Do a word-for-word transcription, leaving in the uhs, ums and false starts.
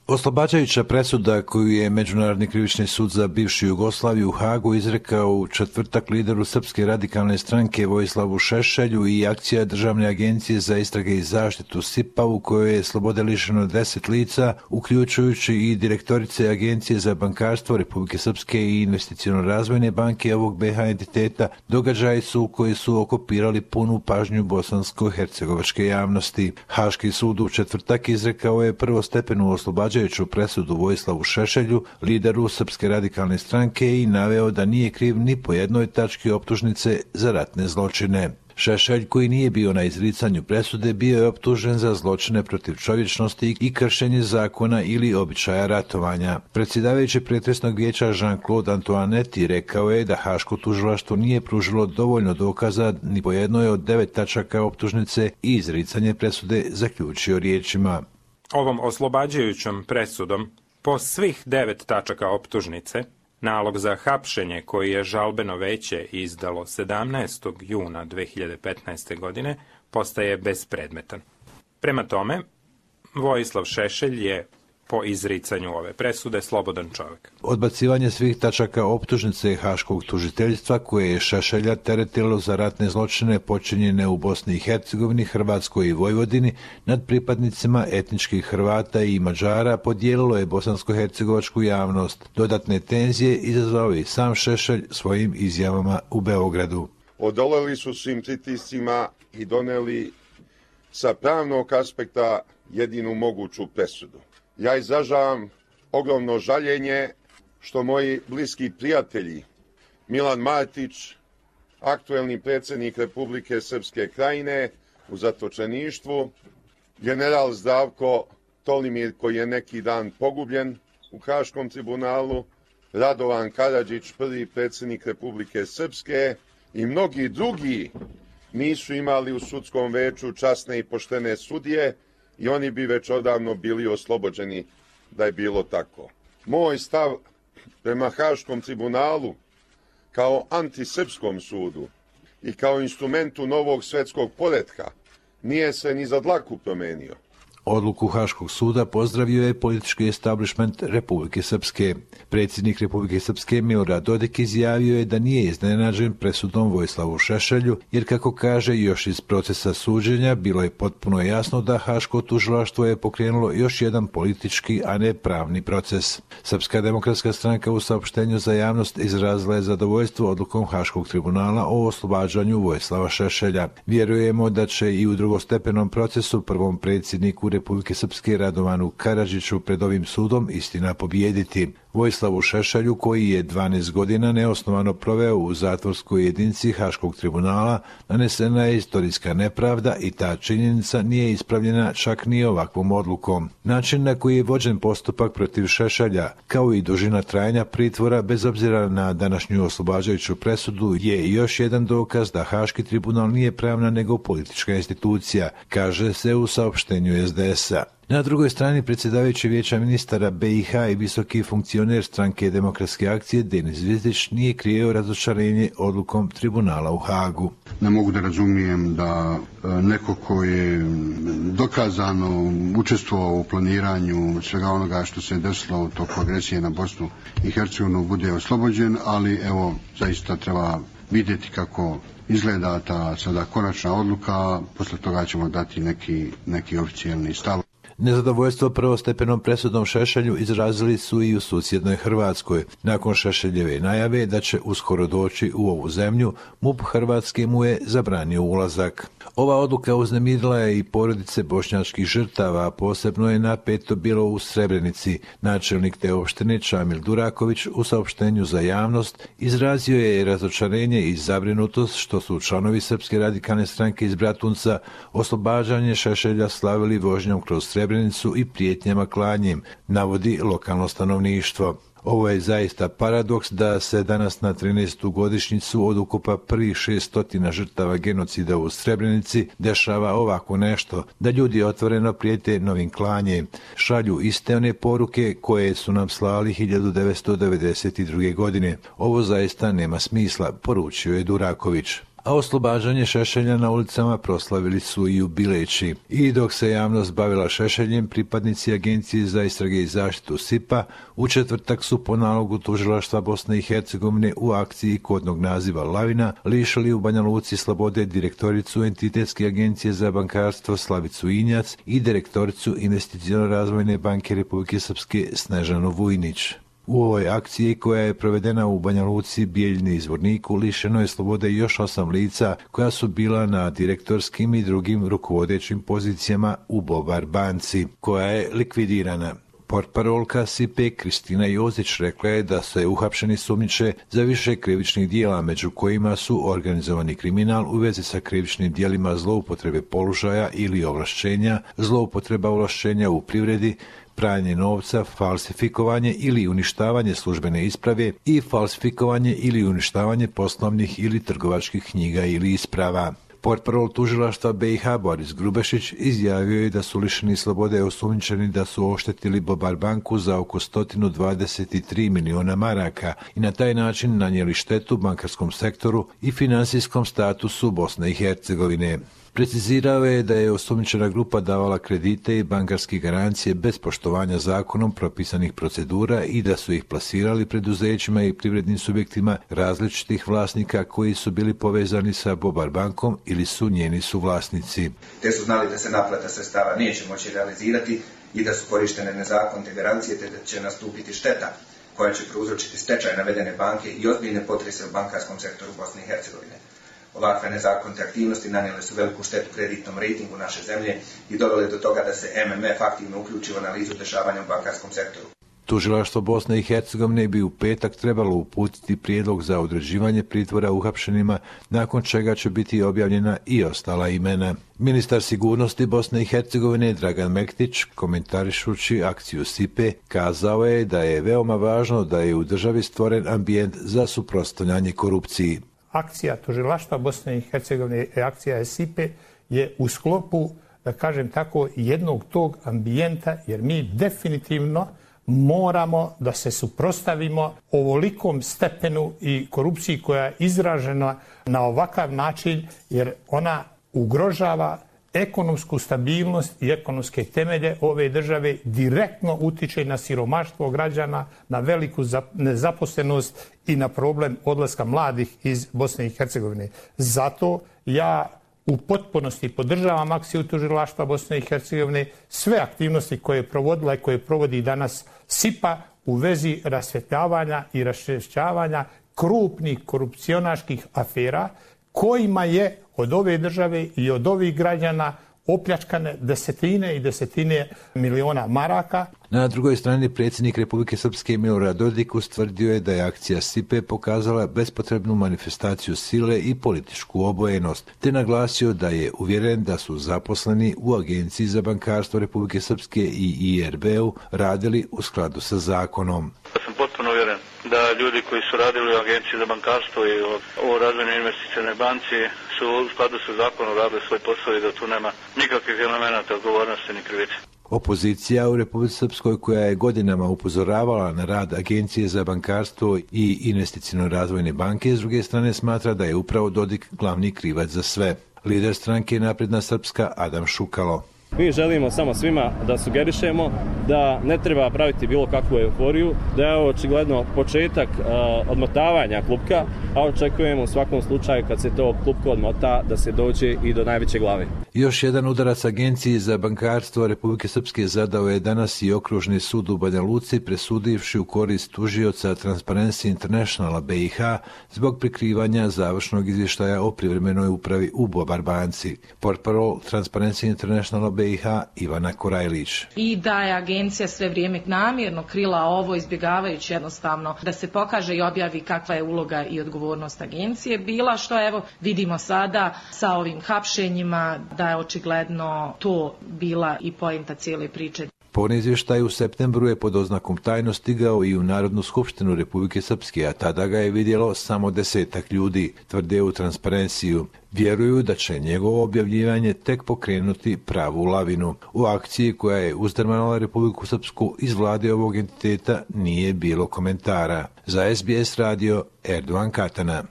Oslobađajuća presuda koju je Međunarodni krivični sud za bivšu Jugoslaviju u Hagu izrekao u četvrtak lideru Srpske radikalne stranke Vojislavu Šešelju i akcija Državne agencije za istrage i zaštitu S I P A u kojoj je slobode lišeno deset lica, uključujući i direktorice Agencije za bankarstvo Republike Srpske i Investiciono-razvojne banke ovog B H entiteta, događaji su koji su okupirali punu pažnju bosansko-hercegovačke javnosti. Haški sud u četvrtak izrekao je prvostepenu oslobađajuću presudu Vojislavu Šešelju, lideru Srpske radikalne stranke, i naveo da nije kriv ni po jednoj tački optužnice za ratne zločine. Šešelj, koji nije bio na izricanju presude, bio je optužen za zločine protiv čovječnosti i kršenje zakona ili običaja ratovanja. Predsjedavajući pretresnog vijeća Jean-Claude Antoinetti rekao je da Haško tužilaštvo nije pružilo dovoljno dokaza ni po jednoj od devet tačaka optužnice i izricanje presude zaključio riječima: Ovom oslobađajućom presudom po svih devet tačaka optužnice, nalog za hapšenje koji je žalbeno veće izdalo sedamnaestog juna dve hiljade petnaeste. godine postaje bespredmetan. Prema tome, Vojislav Šešelj je po izricanju ove presude slobodan čovjek. Odbacivanje svih tačaka optužnice Haškog tužiteljstva koje je Šešelja teretilo za ratne zločine počinjene u Bosni i Hercegovini, Hrvatskoj i Vojvodini nad pripadnicima etničkih Hrvata i Mađara podijelilo je bosansko-hercegovačku javnost. Dodatne tenzije izazvao i sam Šešelj svojim izjavama u Beogradu. Odoleli su svim pritiscima i doneli sa pravnog aspekta jedinu moguću presudu. Ja izražavam ogromno žaljenje što moji bliski prijatelji Milan Martić, aktuelni predsjednik Republike Srpske Krajine u zatočeništvu, general Zdravko Tolimir koji je neki dan pogubljen u Haškom tribunalu, Radovan Karadžić, prvi predsjednik Republike Srpske, i mnogi drugi nisu imali u sudskom veću časne i poštene sudije i oni bi već odavno bili oslobođeni da je bilo tako. Moj stav prema Haškom tribunalu kao antisrpskom sudu i kao instrumentu novog svjetskog poretka nije se ni za dlaku promenio. Odluku Haškog suda pozdravio je politički establishment Republike Srpske. Predsjednik Republike Srpske Milorad Dodik izjavio je da nije iznenađen presudom Vojislavu Šešelju, jer kako kaže još iz procesa suđenja bilo je potpuno jasno da Haško tužilaštvo je pokrenulo još jedan politički, a ne pravni proces. Srpska demokratska stranka u saopštenju za javnost izrazila je zadovoljstvo odlukom Haškog tribunala o oslobađanju Vojislava Šešelja. Vjerujemo da će i u drugostepenom procesu prvom predsjedniku Republike Srpske Radovanu Karadžiću pred ovim sudom istina pobijediti. Vojislavu Šešelju, koji je dvanaest godina neosnovano proveo u zatvorskoj jedinici Haškog tribunala, nanesena je istorijska nepravda i ta činjenica nije ispravljena čak ni ovakvom odlukom. Način na koji je vođen postupak protiv Šešelja, kao i dužina trajanja pritvora bez obzira na današnju oslobađajuću presudu, je još jedan dokaz da Haški tribunal nije pravna nego politička institucija, kaže se u saopštenju S D S-a. Na drugoj strani predsjedavajući vijeća ministara B i H i visoki funkcioner stranke Demokratske akcije Denis Zvizdić nije krio razočarenje odlukom tribunala u Hagu. Ne mogu da razumijem da neko ko je dokazano učestvovao u planiranju svega onoga što se desilo u toku agresije na Bosnu i Hercegovinu bude oslobođen, ali evo zaista treba vidjeti kako izgleda ta sada konačna odluka, posle toga ćemo dati neki, neki oficijalni stav. Nezadovoljstvo prvostepenom presudom Šešelju izrazili su i u susjednoj Hrvatskoj. Nakon Šešeljeve najave da će uskoro doći u ovu zemlju, M U P Hrvatske mu je zabranio ulazak. Ova odluka uznemirila je i porodice bošnjačkih žrtava, posebno je napeto bilo u Srebrenici. Načelnik te opštine Čamil Duraković u saopštenju za javnost izrazio je razočarenje i zabrinutost što su članovi Srpske radikalne stranke iz Bratunca oslobađanje Šešelja slavili vožnjom kroz Srebrenicu i prijetnjama klanjem, navodi lokalno stanovništvo. Ovo je zaista paradoks da se danas na trinaestu godišnjicu od ukupa prvih šeststotina žrtava genocida u Srebrenici dešava ovako nešto, da ljudi otvoreno prijete novim klanjem, šalju iste one poruke koje su nam slali hiljadu devetsto devedeset druge. godine. Ovo zaista nema smisla, poručio je Duraković. a oslobađanje Šešelja na ulicama proslavili su i u Bileći. I dok se javnost bavila Šešeljem, pripadnici Agencije za istrage i zaštitu S I P-a u četvrtak su po nalogu tužilaštva Bosne i Hercegovine u akciji kodnog naziva Lavina lišili u Banja Luci slobode direktoricu Entitetske agencije za bankarstvo Slavicu Injac i direktoricu Investiciono-razvojne banke Republike Srpske Snežanu Vujnić. U ovoj akciji, koja je provedena u Banja Luci, Bijeljini i Zvorniku, lišeno je slobode još osam lica koja su bila na direktorskim i drugim rukovodećim pozicijama u Bobar banci, koja je likvidirana. Portparolka S I P-e Kristina Jozić rekla je da se uhapšeni sumnjiče za više krivičnih dijela, među kojima su organizovani kriminal u vezi sa krivičnim dijelima zloupotrebe položaja ili ovlašćenja, zloupotreba ovlašćenja u privredi, pranje novca, falsifikovanje ili uništavanje službene isprave i falsifikovanje ili uništavanje poslovnih ili trgovačkih knjiga ili isprava. Portparol tužilaštva B i H Boris Grubešić izjavio je da su lišeni slobode osumnjičeni da su oštetili Bobar banku za oko sto dvadeset tri miliona maraka i na taj način nanijeli štetu bankarskom sektoru i finansijskom statusu Bosne i Hercegovine. Precizirao je da je osumnjičena grupa davala kredite i bankarske garancije bez poštovanja zakonom propisanih procedura i da su ih plasirali preduzećima i privrednim subjektima različitih vlasnika koji su bili povezani sa Bobar bankom ili su njeni suvlasnici. Te su znali da se naplata sredstava neće moći realizirati i da su korištene nezakonite garancije, te da će nastupiti šteta koja će prouzročiti stečaj navedene banke i ozbiljne potrese u bankarskom sektoru Bosne i Hercegovine. Ovakve nezakonite aktivnosti nanijele su veliku štetu kreditnom rejtingu naše zemlje i dovele do toga da se M M F aktivno uključi u analizu dešavanja u bankarskom sektoru. Tužilaštvo Bosne i Hercegovine bi u petak trebalo uputiti prijedlog za određivanje pritvora uhapšenima, nakon čega će biti objavljena i ostala imena. Ministar sigurnosti Bosne i Hercegovine Dragan Mektić, komentarišući akciju S I P-e, kazao je da je veoma važno da je u državi stvoren ambijent za suprotstavljanje korupciji. Akcija tužilaštva Bosne i Hercegovine i akcija S I P-e je u sklopu, da kažem tako, jednog tog ambijenta, jer mi definitivno moramo da se suprotstavimo ovolikom stepenu i korupciji koja je izražena na ovakav način, jer ona ugrožava ekonomsku stabilnost i ekonomske temelje ove države, direktno utiče na siromaštvo građana, na veliku nezaposlenost i na problem odlaska mladih iz Bosne i Hercegovine. Zato ja u potpunosti podržavam akciju tužilaštva Bosne i Hercegovine, sve aktivnosti koje je provodila i koje provodi danas S I P-a u vezi rasvjetljavanja i raščišćavanja krupnih korupcionaških afera kojima je od ove države i od ovih građana opljačkane desetine i desetine miliona maraka. Na drugoj strani predsjednik Republike Srpske Milorad Dodik ustvrdio je da je akcija S I P-e pokazala bespotrebnu manifestaciju sile i političku obojenost, te naglasio da je uvjeren da su zaposleni u Agenciji za bankarstvo Republike Srpske i I R B-u radili u skladu sa zakonom. Ja sam potpuno uvjeren da ljudi koji su radili u Agenciji za bankarstvo i u Razvojnoj investicionoj banci su u skladu sa zakonom radili svoj posao i da tu nema nikakvih elemenata odgovornosti ni krivice. Opozicija u Republici Srpskoj, koja je godinama upozoravala na rad Agencije za bankarstvo i Investiciono-razvojne banke, s druge strane smatra da je upravo Dodik glavni krivac za sve. Lider stranke Napredna Srpska Adam Šukalo. Mi želimo samo svima da sugerišemo da ne treba praviti bilo kakvu euforiju, da je ovo očigledno početak uh, odmotavanja klupka, a očekujemo u svakom slučaju kad se to klupko odmota da se dođe i do najveće glave. Još jedan udarac Agenciji za bankarstvo Republike Srpske zadao je danas i Okružni sud u Banja Luci, presudivši u korist tužioca Transparency Internationala B i H zbog prikrivanja završnog izvještaja o privremenoj upravi u Bobar banci. Portparol Transparency Internationala B i H Ivana Korajlić. I da je agencija sve vrijeme namjerno krila ovo, izbjegavajući jednostavno da se pokaže i objavi kakva je uloga i odgovornost agencije bila, što evo vidimo sada sa ovim hapšenjima da je očigledno to bila i poenta cijele priče. Po izvještaju u septembru je pod oznakom tajno stigao i u Narodnu skupštinu Republike Srpske, a tada ga je vidjelo samo desetak ljudi, tvrde u Transparenciju. Vjeruju da će njegovo objavljivanje tek pokrenuti pravu lavinu. U akciji koja je uzdrmala Republiku Srpsku iz vlade ovog entiteta nije bilo komentara. Za S B S radio Erdogan Katana.